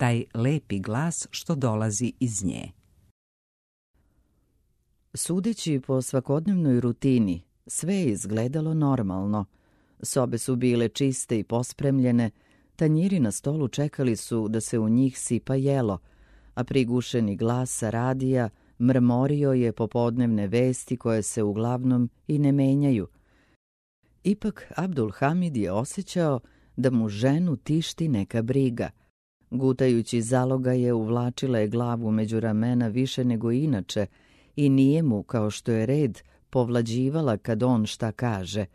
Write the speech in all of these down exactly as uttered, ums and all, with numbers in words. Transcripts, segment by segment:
taj lepi glas što dolazi iz nje. Sudeći po svakodnevnoj rutini, sve je izgledalo normalno. Sobe su bile čiste i pospremljene, tanjiri na stolu čekali su da se u njih sipa jelo, a prigušeni glas sa radija mrmorio je popodnevne vesti koje se uglavnom i ne menjaju. Ipak Abdul Hamid je osjećao da mu ženu tišti neka briga. Gutajući zalogaje, uvlačila je glavu među ramena više nego inače i nije mu, kao što je red, povlađivala kad on šta kaže.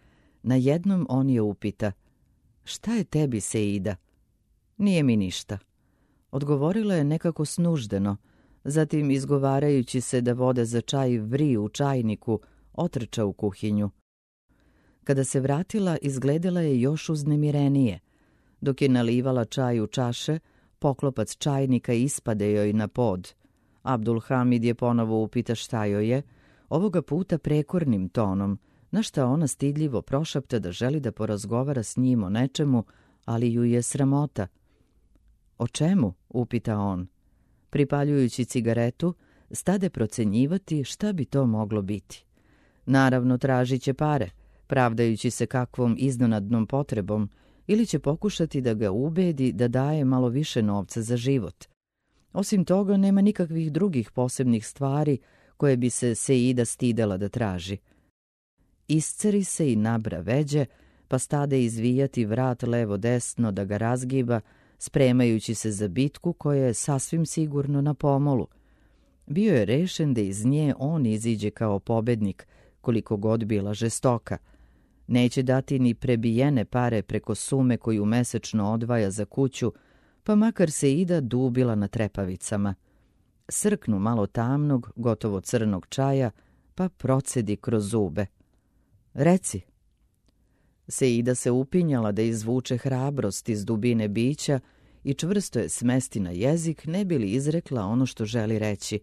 Najednom on je upita: "Šta je tebi, Seida?" "Nije mi ništa." Odgovorila je nekako snuždeno, zatim izgovarajući se da vode za čaj vri u čajniku, otrča u kuhinju. Kada se vratila, izgledala je još uznemirenije. Dok je nalivala čaj u čaše, poklopac čajnika ispade joj na pod. Abdul Hamid je ponovo upita šta joj je, ovoga puta prekornim tonom, na šta ona stidljivo prošapta da želi da porazgovara s njim o nečemu, ali ju je sramota. "O čemu?" upita on. Pripaljujući cigaretu, stade procenjivati šta bi to moglo biti. Naravno, tražit će pare, pravdajući se kakvom iznenadnom potrebom, ili će pokušati da ga ubedi da daje malo više novca za život. Osim toga, nema nikakvih drugih posebnih stvari koje bi se Seida stidela da traži. Isceri se i nabra veđe, pa stade izvijati vrat levo-desno da ga razgiba, spremajući se za bitku koja je sasvim sigurno na pomolu. Bio je rešen da iz nje on iziđe kao pobednik, koliko god bila žestoka. Neće dati ni prebijene pare preko sume koju mesečno odvaja za kuću, pa makar Seida dubila na trepavicama. Srknu malo tamnog, gotovo crnog čaja, pa procedi kroz zube. "Reci." Seida se upinjala da izvuče hrabrost iz dubine bića i čvrsto je smesti na jezik, ne bi li izrekla ono što želi reći,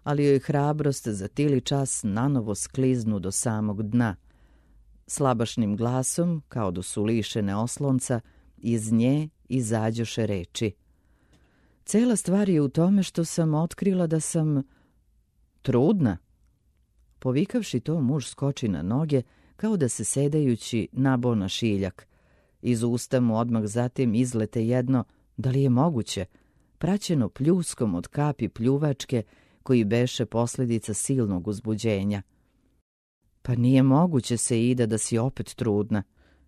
ali joj hrabrost za tili čas nanovo skliznu do samog dna. Slabašnim glasom, kao da su lišene oslonca, iz nje izađoše reči: "Cela stvar je u tome što sam otkrila da sam trudna." Povikavši to, muž skoči na noge, kao da se sedajući nabo na šiljak. Iz usta mu odmah zatim izlete jedno "da li je moguće", praćeno pljuskom od kapi pljuvačke koji beše posljedica silnog uzbuđenja. "Pa nije moguće, Seida, da si opet trudna.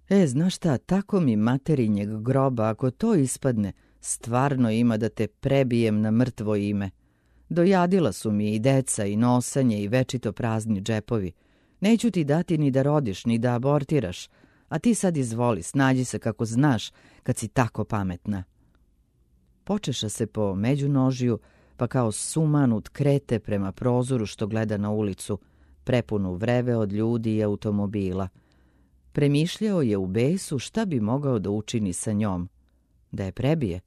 E, znaš šta, tako mi materinjeg groba, ako to ispadne, stvarno ima da te prebijem na mrtvo ime. Dojadila su mi i deca i nosanje i večito prazni džepovi. Neću ti dati ni da rodiš, ni da abortiraš, a ti sad izvoli, snađi se kako znaš, kad si tako pametna." Počeša se po međunožju, pa kao sumanut krete prema prozoru što gleda na ulicu, prepunu vreve od ljudi i automobila. Premišljao je u besu šta bi mogao da učini sa njom. Da je prebije,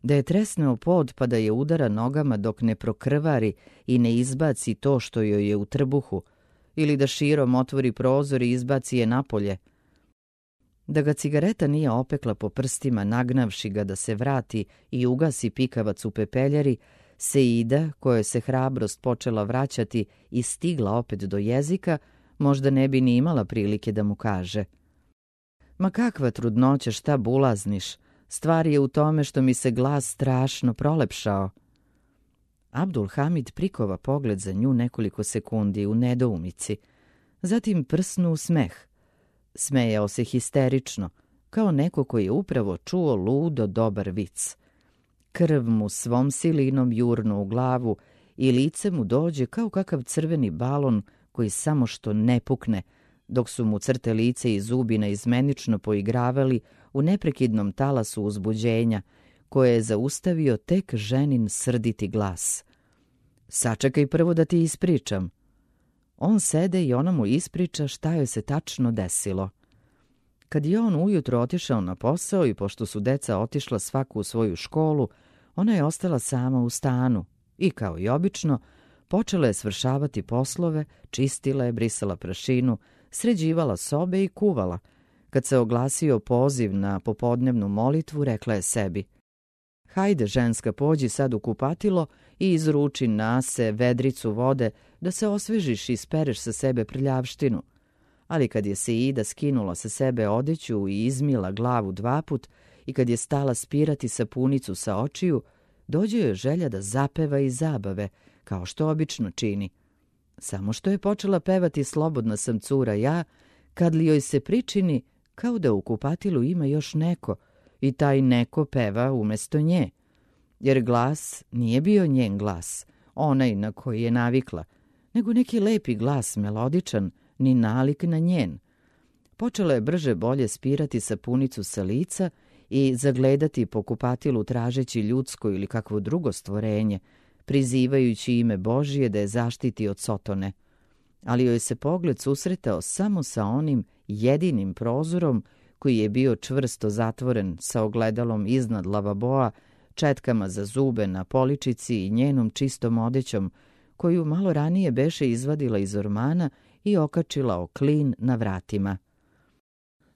da je tresneo pod pa da je udara nogama dok ne prokrvari i ne izbaci to što joj je u trbuhu, ili da širom otvori prozor i izbaci je napolje. Da ga cigareta nije opekla po prstima, nagnavši ga da se vrati i ugasi pikavac u pepeljari, Seida, kojoj se hrabrost počela vraćati i stigla opet do jezika, možda ne bi ni imala prilike da mu kaže: "Ma kakva trudnoća, šta bulazniš? Stvar je u tome što mi se glas strašno prolepšao." Abdul Hamid prikova pogled za nju nekoliko sekundi u nedoumici, zatim prsnu u smeh. Smejao se histerično, kao neko koji je upravo čuo ludo dobar vic. Krv mu svom silinom jurnu u glavu i lice mu dođe kao kakav crveni balon koji samo što ne pukne, dok su mu crte lice i zubi naizmenično poigravali u neprekidnom talasu uzbuđenja, koje je zaustavio tek ženin srditi glas: "Sačekaj prvo da ti ispričam." On sede i ona mu ispriča šta joj se tačno desilo. Kad je on ujutro otišao na posao i pošto su deca otišla svaku u svoju školu, ona je ostala sama u stanu i, kao i obično, počela je svršavati poslove, čistila je, brisala prašinu, sređivala sobe i kuvala. Kad se oglasio poziv na popodnevnu molitvu, rekla je sebi: Hajde, ženska, pođi sad u kupatilo i izruči nase vedricu vode da se osvežiš i spereš sa sebe prljavštinu. Ali kad je Seida skinula sa sebe odeću i izmila glavu dvaput i kad je stala spirati sapunicu sa očiju, dođe joj želja da zapeva i zabave, kao što obično čini. Samo što je počela pevati Slobodna sam cura ja, kad li joj se pričini kao da u kupatilu ima još neko i taj neko peva umesto nje. Jer glas nije bio njen glas, onaj na koji je navikla, nego neki lepi glas, melodičan, ni nalik na njen. Počela je brže bolje spirati sapunicu sa lica i zagledati po kupatilu tražeći ljudsko ili kakvo drugo stvorenje, prizivajući ime Božije da je zaštiti od Sotone. Ali joj se pogled susretao samo sa onim jedinim prozorom koji je bio čvrsto zatvoren sa ogledalom iznad lavaboa, četkama za zube na poličici i njenom čistom odećom, koju malo ranije beše izvadila iz ormana i okačila o klin na vratima.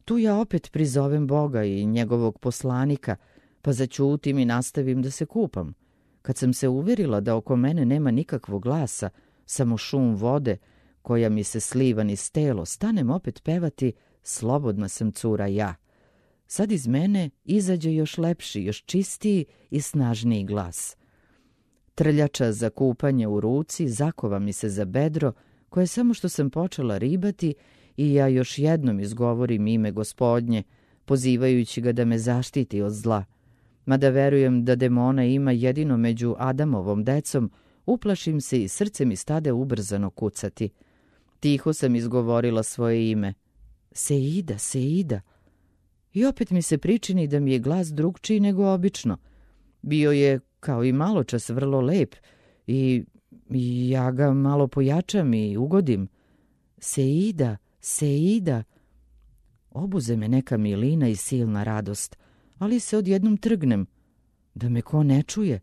Tu ja opet prizovem Boga i njegovog poslanika, pa zaćutim i nastavim da se kupam. Kad sam se uverila da oko mene nema nikakvog glasa, samo šum vode, koja mi se sliva niz telo, stanem opet pevati Slobodna sam cura ja. Sad iz mene izađe još lepši, još čistiji i snažniji glas. Trljača za kupanje u ruci zakova mi se za bedro, koje samo što sam počela ribati i ja još jednom izgovorim ime Gospodnje, pozivajući ga da me zaštiti od zla. Mada verujem da demona ima jedino među Adamovom decom, uplašim se i srce mi stade ubrzano kucati. Tiho sam izgovorila svoje ime. Seida, Seida. I opet mi se pričini da mi je glas drugčiji nego obično. Bio je, kao i maločas, vrlo lep i, i ja ga malo pojačam i ugodim. Seida, Seida. Obuze me neka milina i silna radost, ali se odjednom trgnem, da me ko ne čuje.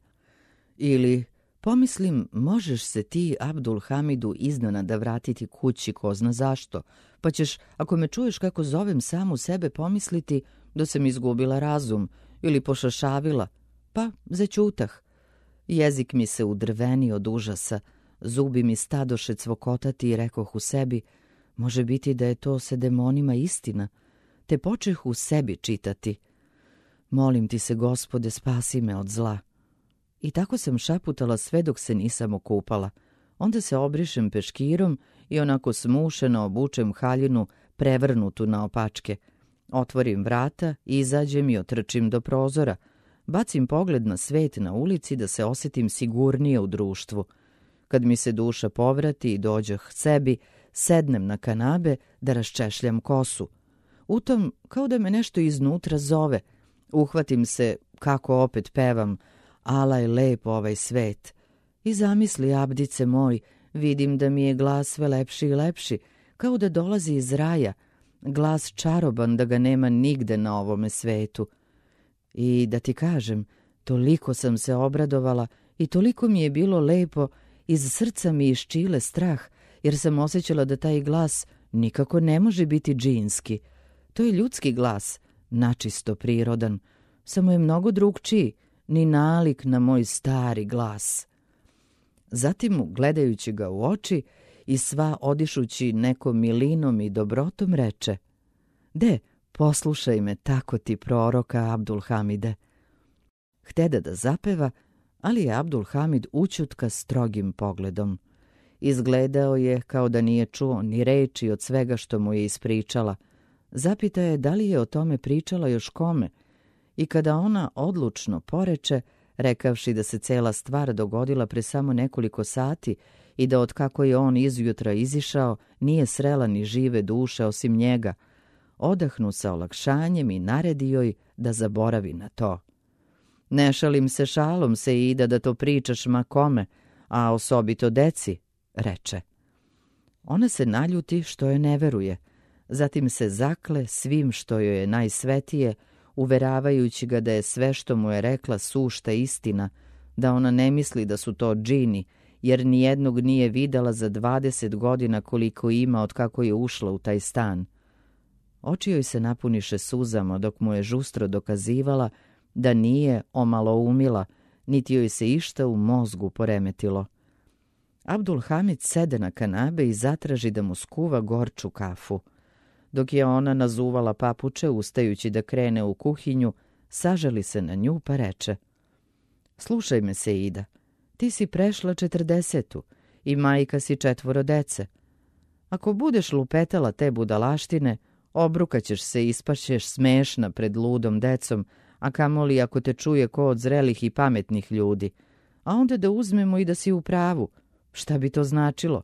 Ili pomislim, možeš se ti Abdul Hamidu iznenada vratiti kući ko zna zašto, pa ćeš, ako me čuješ kako zovem samu sebe, pomisliti da sam izgubila razum ili pošašavila, pa zaćutah. Jezik mi se udrveni od užasa, zubi mi stadoše cvokotati i rekoh u sebi, može biti da je to sa demonima istina, te počeh u sebi čitati. Molim ti se, Gospode, spasi me od zla. I tako sam šaputala sve dok se nisam okupala. Onda se obrišem peškirom i onako smušeno obučem haljinu prevrnutu na opačke. Otvorim vrata, izađem i otrčim do prozora. Bacim pogled na svet na ulici da se osjetim sigurnije u društvu. Kad mi se duša povrati i dođeh sebi, sednem na kanabe da raščešljam kosu. U tom kao da me nešto iznutra zove. Uhvatim se kako opet pevam, ala je lep ovaj svet. I zamisli, Abdice moj, vidim da mi je glas sve lepši i lepši, kao da dolazi iz raja, glas čaroban da ga nema nigde na ovome svetu. I da ti kažem, toliko sam se obradovala i toliko mi je bilo lepo, iz srca mi iščile strah, jer sam osjećala da taj glas nikako ne može biti džinski. To je ljudski glas, načisto prirodan, samo je mnogo drugčiji, ni nalik na moj stari glas. Zatim mu, gledajući ga u oči i sva odišući nekom milinom i dobrotom, reče: De, poslušaj me, tako ti proroka Abdul Hamide. Htede da zapeva, ali je Abdul Hamid ućutka strogim pogledom. Izgledao je kao da nije čuo ni reči od svega što mu je ispričala. Zapita je da li je o tome pričala još kome, i kada ona odlučno poreče, rekavši da se cela stvar dogodila pre samo nekoliko sati i da od kako je on izjutra izišao nije srela ni žive duše osim njega, odahnu sa olakšanjem i naredi joj da zaboravi na to. Ne šalim se šalom, Seida, da to pričaš ma kome, a osobito deci, reče. Ona se naljuti što je ne veruje, zatim se zakle svim što joj je najsvetije, uveravajući ga da je sve što mu je rekla sušta istina, da ona ne misli da su to džini, jer nijednog nije videla za dvadeset godina koliko ima od kako je ušla u taj stan. Oči joj se napuniše suzama dok mu je žustro dokazivala da nije omaloumila, niti joj se išta u mozgu poremetilo. Abdul Hamid sede na kanabe i zatraži da mu skuva gorču kafu. Dok je ona nazuvala papuče, ustajući da krene u kuhinju, sažali se na nju pa reče: Slušaj me, Seida, ti si prešla četrdesetu i majka si četvoro dece. Ako budeš lupetala te budalaštine, obrukaćeš se i ispašćeš smešna pred ludom decom, a kamoli ako te čuje ko od zrelih i pametnih ljudi. A onda da uzmemo i da si u pravu. Šta bi to značilo?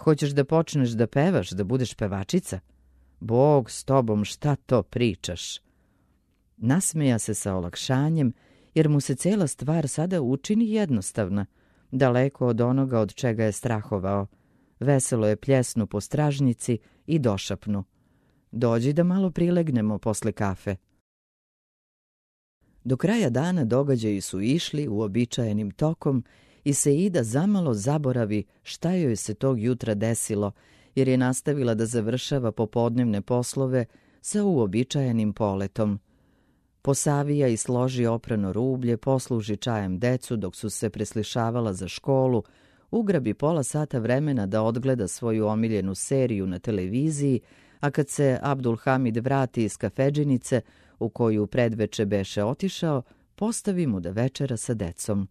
Hoćeš da počneš da pevaš, da budeš pevačica? Bog s tobom, šta to pričaš? Nasmeja se sa olakšanjem, jer mu se cela stvar sada učini jednostavna, daleko od onoga od čega je strahovao. Veselo je pljesnu po stražnjici i došapnu: Dođi da malo prilegnemo posle kafe. Do kraja dana događaji su išli uobičajenim tokom i Seida zamalo zaboravi šta joj se tog jutra desilo, jer je nastavila da završava popodnevne poslove sa uobičajenim poletom. Posavija i složi oprano rublje, posluži čajem decu dok su se preslišavala za školu, ugrabi pola sata vremena da odgleda svoju omiljenu seriju na televiziji, a kad se Abdul Hamid vrati iz kafedžinice u koju predveče beše otišao, postavi mu da večera sa decom.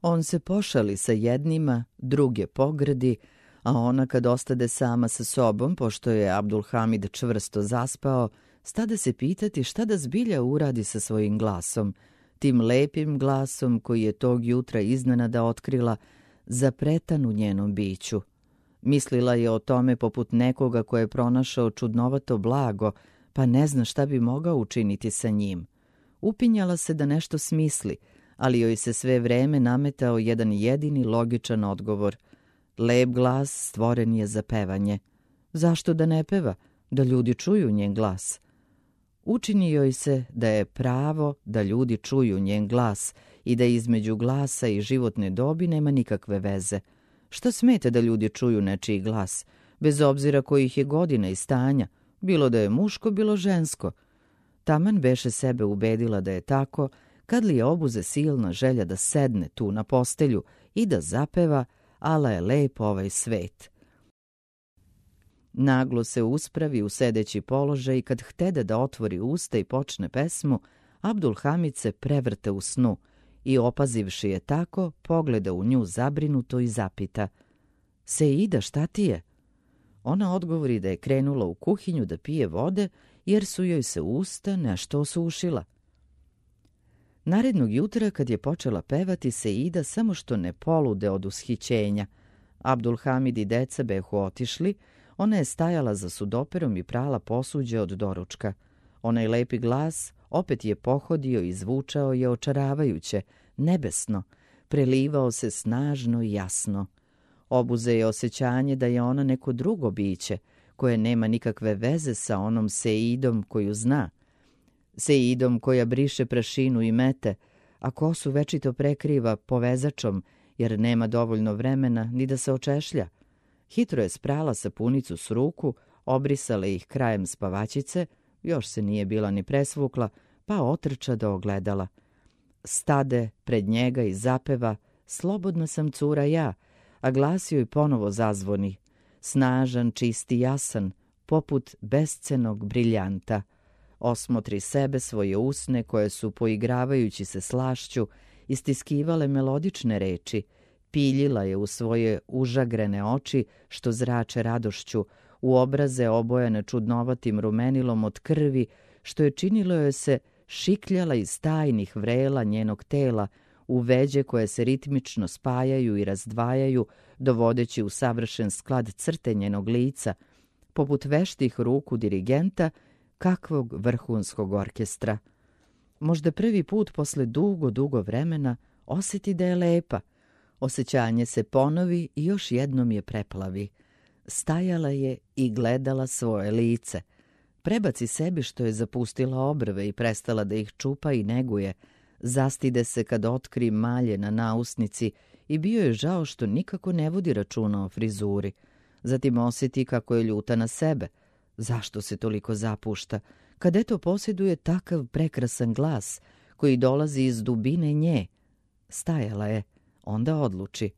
On se pošali sa jednima, druge pogrdi, a ona kad ostade sama sa sobom, pošto je Abdul Hamid čvrsto zaspao, stade se pitati šta da zbilja uradi sa svojim glasom, tim lepim glasom koji je tog jutra iznenada otkrila, zapretan u njenom biću. Mislila je o tome poput nekoga ko je pronašao čudnovato blago, pa ne zna šta bi mogao učiniti sa njim. Upinjala se da nešto smisli, ali joj se sve vreme nametao jedan jedini logičan odgovor. Lep glas stvoren je za pevanje. Zašto da ne peva? Da ljudi čuju njen glas. Učini joj se da je pravo da ljudi čuju njen glas i da između glasa i životne dobi nema nikakve veze. Šta smeta da ljudi čuju nečiji glas, bez obzira kojih je godina i stanja, bilo da je muško, bilo žensko? Taman beše sebe ubedila da je tako, kad li je obuze silna želja da sedne tu na postelju i da zapeva ala je lep ovaj svet. Naglo se uspravi u sedeći položaj i kad htede da otvori usta i počne pesmu, Abdul Hamid se prevrte u snu i opazivši je tako, pogleda u nju zabrinuto i zapita: Seida, šta ti je? Ona odgovori da je krenula u kuhinju da pije vode, jer su joj se usta nešto osušila. Narednog jutra, kad je počela pevati, Seida samo što ne polude od ushićenja. Abdul Hamid i deca behu otišli, ona je stajala za sudoperom i prala posuđe od doručka. Onaj lepi glas opet je pohodio i zvučao je očaravajuće, nebesno, prelivao se snažno i jasno. Obuze je osjećanje da je ona neko drugo biće, koje nema nikakve veze sa onom Seidom koju zna. Seidom koja briše prašinu i mete, a kosu večito prekriva povezačom, jer nema dovoljno vremena ni da se očešlja. Hitro je sprala sapunicu s ruku, obrisala ih krajem spavačice, još se nije bila ni presvukla, pa otrča do ogledala. Stade pred njega i zapeva: Slobodna sam cura ja, a glas joj ponovo zazvoni, snažan, čisti, jasan, poput bescenog briljanta. Osmotri sebe, svoje usne koje su, poigravajući se slašću, istiskivale melodične reči, piljila je u svoje užagrene oči što zrače radošću, u obraze obojane čudnovatim rumenilom od krvi, što je činilo joj se šikljala iz tajnih vrela njenog tela, u veđe koje se ritmično spajaju i razdvajaju, dovodeći u savršen sklad crte njenog lica, poput veštih ruku dirigenta kakvog vrhunskog orkestra. Možda prvi put posle dugo, dugo vremena osjeti da je lepa. Osjećanje se ponovi i još jednom je preplavi. Stajala je i gledala svoje lice. Prebaci sebi što je zapustila obrve i prestala da ih čupa i neguje. Zastide se kad otkri malje na nausnici i bio je žao što nikako ne vodi računa o frizuri. Zatim osjeti kako je ljuta na sebe. Zašto se toliko zapušta? Kad eto posjeduje takav prekrasan glas, koji dolazi iz dubine nje. Stajala je, onda odluči.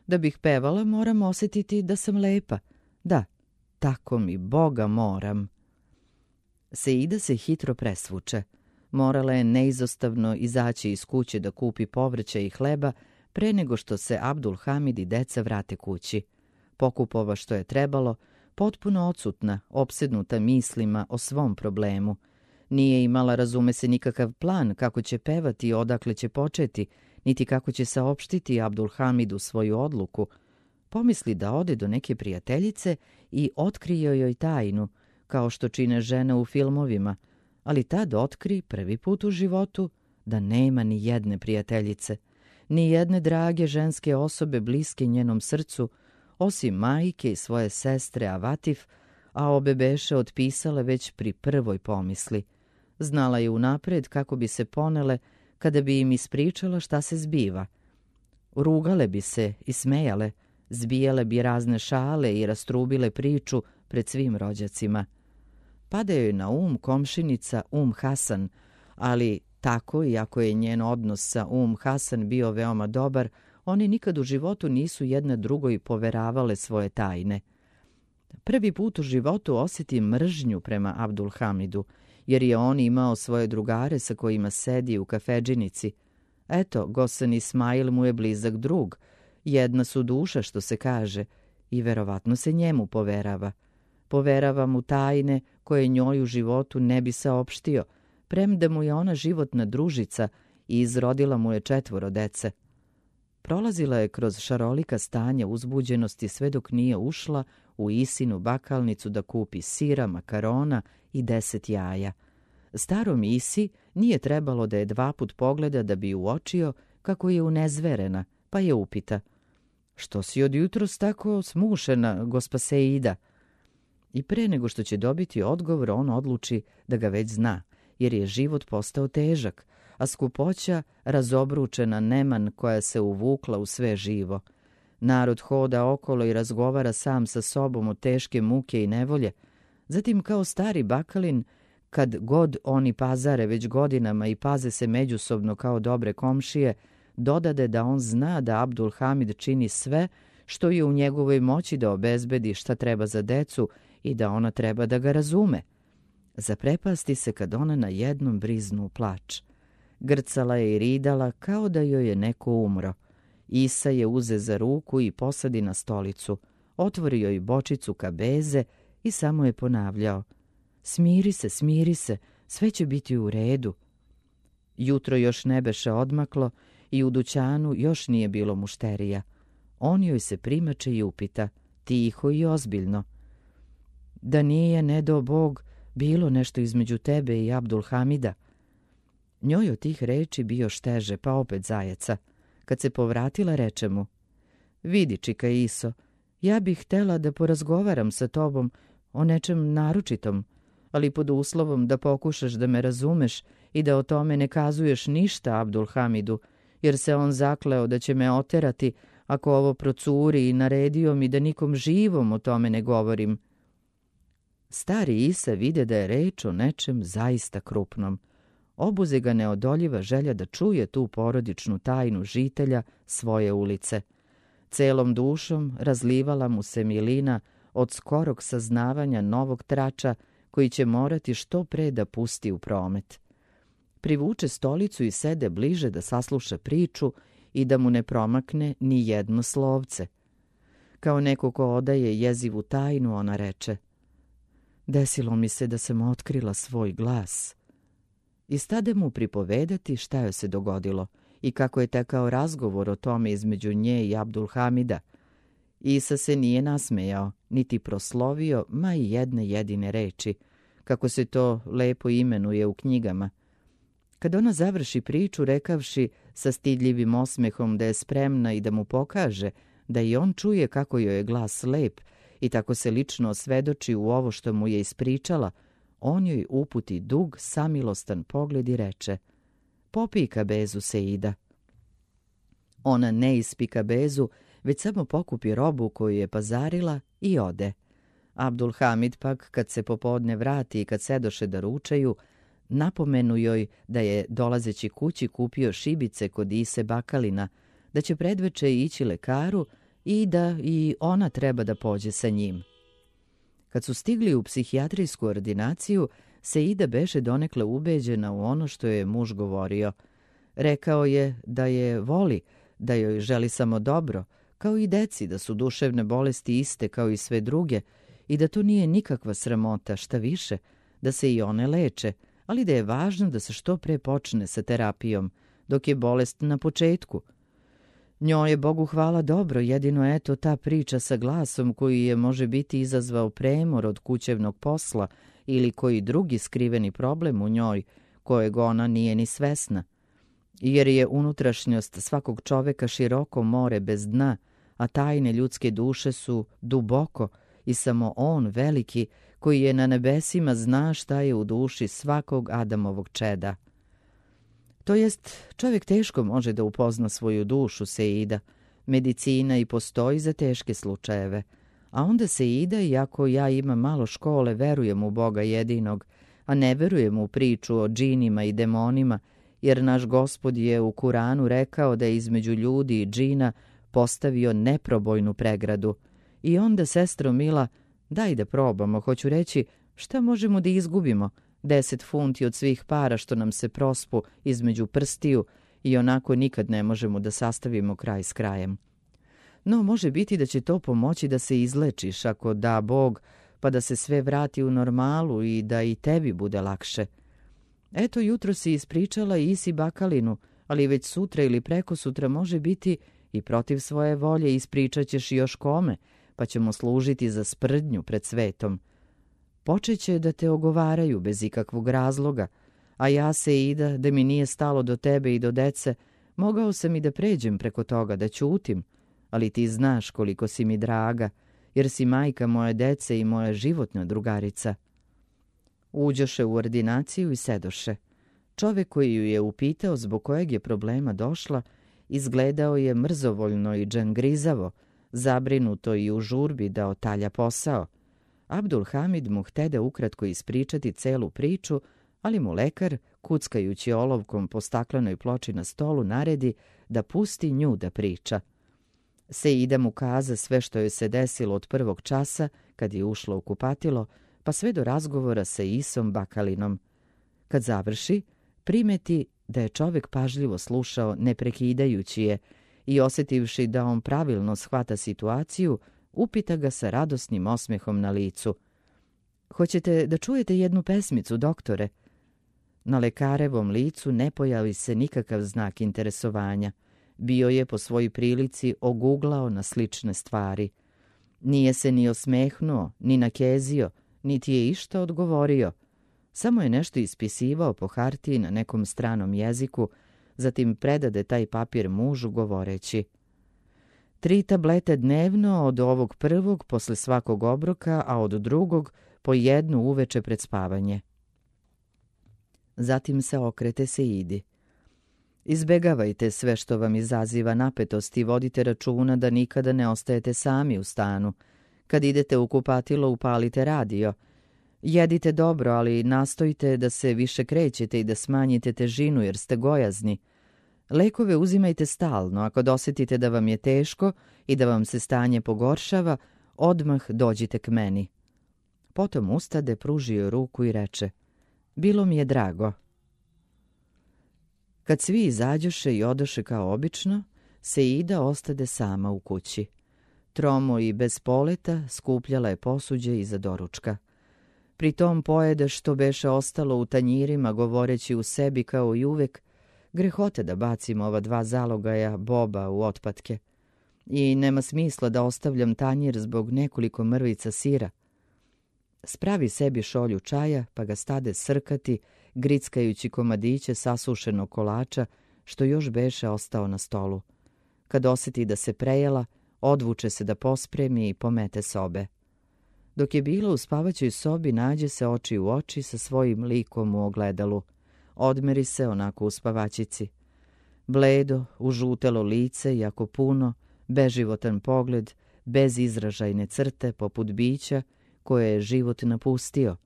Da bih pevala, moram osjetiti da sam lepa. Da, tako mi Boga moram. Seida se hitro presvuče. Morala je neizostavno izaći iz kuće da kupi povrća i hleba pre nego što se Abdul Hamid i deca vrate kući. Pokupova što je trebalo, potpuno odsutna, opsednuta mislima o svom problemu. Nije imala, razume se, nikakav plan kako će pevati i odakle će početi, niti kako će saopštiti Abdul Hamidu svoju odluku. Pomisli da ode do neke prijateljice i otkrije joj tajnu, kao što čine žene u filmovima, ali tad otkri prvi put u životu da nema ni jedne prijateljice, ni jedne drage ženske osobe bliske njenom srcu, osim majke i svoje sestre Avatif, a obe beše otpisale već pri prvoj pomisli. Znala je unapred kako bi se ponele kada bi im ispričala šta se zbiva. Rugale bi se i smejale, zbijale bi razne šale i rastrubile priču pred svim rođacima. Pada joj na um komšinica Um Hasan, ali tako, iako je njen odnos sa Um Hasan bio veoma dobar, oni nikad u životu nisu jedna drugoj poveravale svoje tajne. Prvi put u životu osjeti mržnju prema Abdul Hamidu, jer je on imao svoje drugare sa kojima sedi u kafedžinici. Eto, Gosan Ismail mu je blizak drug, jedna su duša, što se kaže, i verovatno se njemu poverava. Poverava mu tajne koje njoj u životu ne bi saopštio, premda mu je ona životna družica i izrodila mu je četvoro dece. Prolazila je kroz šarolika stanja uzbuđenosti sve dok nije ušla u Isinu bakalnicu da kupi sira, makarona i deset jaja. Starom Isi nije trebalo da je dva put pogleda da bi uočio kako je unezverena, pa je upita: "Što si od jutros tako smušena, gospa Seida?" I pre nego što će dobiti odgovor, on odluči da ga već zna, jer je život postao težak, a skupoća razobručena neman koja se uvukla u sve živo. Narod hoda okolo i razgovara sam sa sobom o teške muke i nevolje. Zatim, kao stari bakalin, kad god oni pazare već godinama i paze se međusobno kao dobre komšije, dodade da on zna da Abdul Hamid čini sve što je u njegovoj moći da obezbedi šta treba za decu i da ona treba da ga razume. Zaprepasti se kad ona na jednom briznu u plač. Grcala je i ridala kao da joj je neko umro. Isa je uze za ruku i posadi na stolicu, otvorio joj bočicu kabeze i samo je ponavljao: "Smiri se, smiri se, sve će biti u redu." Jutro još ne beše odmaklo i u dućanu još nije bilo mušterija. On joj se primače i upita, tiho i ozbiljno: "Da nije, ne do Bog, bilo nešto između tebe i Abdul Hamida?" Njoj od tih reči bio šteže, pa opet zajeca. Kad se povratila, reče mu: "Vidi, čika Iso, ja bih htela da porazgovaram sa tobom o nečem naročitom, ali pod uslovom da pokušaš da me razumeš i da o tome ne kazuješ ništa Abdul Hamidu, jer se on zakleo da će me oterati ako ovo procuri i naredio mi da nikom živom o tome ne govorim." Stari Isa vide da je reč o nečem zaista krupnom. Obuze ga neodoljiva želja da čuje tu porodičnu tajnu žitelja svoje ulice. Celom dušom razlivala mu se milina od skorog saznavanja novog trača koji će morati što pre da pusti u promet. Privuče stolicu i sede bliže da sasluša priču i da mu ne promakne ni jedno slovce. Kao neko ko odaje jezivu tajnu, ona reče: "Desilo mi se da sam otkrila svoj glas." I stade mu pripovedati šta joj se dogodilo i kako je tekao razgovor o tome između nje i Abdul Hamida. Isa se nije nasmejao, niti proslovio ma i jedne jedine reči, kako se to lepo imenuje u knjigama. Kad ona završi priču, rekavši sa stidljivim osmehom da je spremna i da mu pokaže da i on čuje kako joj je glas lep i tako se lično osvedoči u ovo što mu je ispričala, on joj uputi dug, samilostan pogled i reče: "Popij kabezu, Seida." Ona ne ispi kabezu, već samo pokupi robu koju je pazarila i ode. Abdul Hamid pak, kad se popodne vrati i kad sedoše da ručaju, napomenu joj da je dolazeći kući kupio šibice kod Ise Bakalina, da će predveče ići lekaru i da i ona treba da pođe sa njim. Kad su stigli u psihijatrijsku ordinaciju, Seida beše donekle ubeđena u ono što je muž govorio. Rekao je da je voli, da joj želi samo dobro, kao i deci, da su duševne bolesti iste kao i sve druge i da to nije nikakva sramota, šta više, da se i one leče, ali da je važno da se što pre počne sa terapijom, dok je bolest na početku. Njoj je, Bogu hvala, dobro, jedino eto ta priča sa glasom koji je može biti izazvao premor od kućevnog posla ili koji drugi skriveni problem u njoj, kojeg ona nije ni svesna. Jer je unutrašnjost svakog čoveka široko more bez dna, a tajne ljudske duše su duboko i samo on, veliki, koji je na nebesima, zna šta je u duši svakog Adamovog čeda. To jest, čovjek teško može da upozna svoju dušu, Seida. Medicina i postoji za teške slučajeve. A onda Seida, iako ja imam malo škole, verujem u Boga jedinog, a ne verujem u priču o džinima i demonima, jer naš Gospod je u Kuranu rekao da je između ljudi i džina postavio neprobojnu pregradu. I onda, sestro mila, daj da probamo, hoću reći, šta možemo da izgubimo? Deset funti od svih para što nam se prospu između prstiju i onako nikad ne možemo da sastavimo kraj s krajem. No, može biti da će to pomoći da se izlečiš, ako da Bog, pa da se sve vrati u normalu i da i tebi bude lakše. Eto, jutro si ispričala Isi Bakalinu, ali već sutra ili preko sutra može biti i protiv svoje volje ispričat ćeš još kome, pa ćemo služiti za sprdnju pred svetom. Počeće da te ogovaraju bez ikakvog razloga, a ja, Seida, da mi nije stalo do tebe i do dece, mogao sam i da pređem preko toga, da ćutim, ali ti znaš koliko si mi draga, jer si majka moje dece i moja životna drugarica. Uđoše u ordinaciju i sedoše. Čovek koji ju je upitao zbog kojeg je problema došla, izgledao je mrzovoljno i džangrizavo, zabrinuto i u žurbi da otalja posao. Abdul Hamid mu htede ukratko ispričati celu priču, ali mu lekar, kuckajući olovkom po staklenoj ploči na stolu, naredi da pusti nju da priča. Seida mu kaza sve što joj se desilo od prvog časa, kad je ušla u kupatilo, pa sve do razgovora sa Isom Bakalinom. Kad završi, primeti da je čovek pažljivo slušao, ne prekidajući je, i osjetivši da on pravilno shvata situaciju, upita ga sa radosnim osmehom na licu. Hoćete da čujete jednu pesmicu, doktore? Na lekarevom licu ne pojavi se nikakav znak interesovanja. Bio je po svojoj prilici oguglao na slične stvari. Nije se ni osmehnuo, ni nakezio, niti je išta odgovorio. Samo je nešto ispisivao po hartiji na nekom stranom jeziku, zatim predade taj papir mužu govoreći: tri tablete dnevno od ovog prvog posle svakog obroka, a od drugog po jednu uveče pred spavanje. Zatim se okrete Seidi. Izbegavajte sve što vam izaziva napetost i vodite računa da nikada ne ostajete sami u stanu. Kad idete u kupatilo, upalite radio. Jedite dobro, ali nastojite da se više krećete i da smanjite težinu jer ste gojazni. Lekove uzimajte stalno, ako dosjetite da vam je teško i da vam se stanje pogoršava, odmah dođite k meni. Potom ustade, pružio ruku i reče: bilo mi je drago. Kad svi izađoše i odoše kao obično, Seida ostade sama u kući. Tromo i bez poleta skupljala je posuđe iza doručka. Pri tom pojede što beše ostalo u tanjirima, govoreći u sebi kao i uvek: grehote da bacim ova dva zalogaja boba u otpatke. I nema smisla da ostavljam tanjir zbog nekoliko mrvica sira. Spravi sebi šolju čaja, pa ga stade srkati, grickajući komadiće sasušenog kolača, što još beše ostao na stolu. Kad osjeti da se prejela, odvuče se da pospremi i pomete sobe. Dok je bila u spavaćoj sobi, nađe se oči u oči sa svojim likom u ogledalu. Odmeri se onako u spavačici. Bledo, užutelo lice, jako puno, beživotan pogled, bez izražajne crte, poput bića koje je život napustio.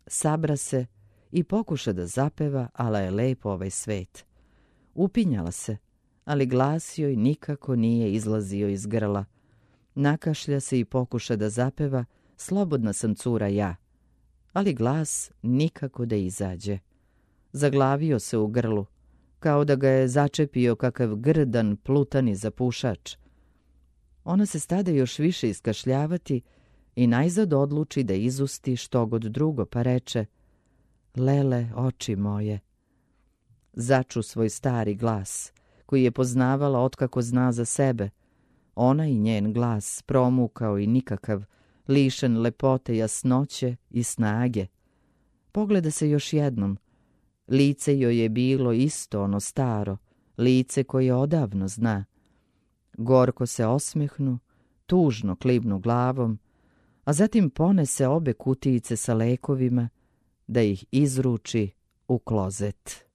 Sabra se i pokuša da zapeva, ala je lepo ovaj svet. Upinjala se, ali glas joj nikako nije izlazio iz grla. Nakašlja se i pokuša da zapeva, slobodna sam cura ja, ali glas nikako da izađe. Zaglavio se u grlu, kao da ga je začepio kakav grdan plutani zapušač. Ona se stade još više iskašljavati i najzad odluči da izusti što god drugo, pa reče: Lele, oči moje. Začu svoj stari glas, koji je poznavala otkako zna za sebe. Ona i njen glas promukao i nikakav, lišen lepote, jasnoće i snage. Pogleda se još jednom. Lice joj je bilo isto ono staro, lice koje odavno zna. Gorko se osmehnu, tužno klibnu glavom, a zatim ponese obe kutijice sa lekovima da ih izruči u klozet.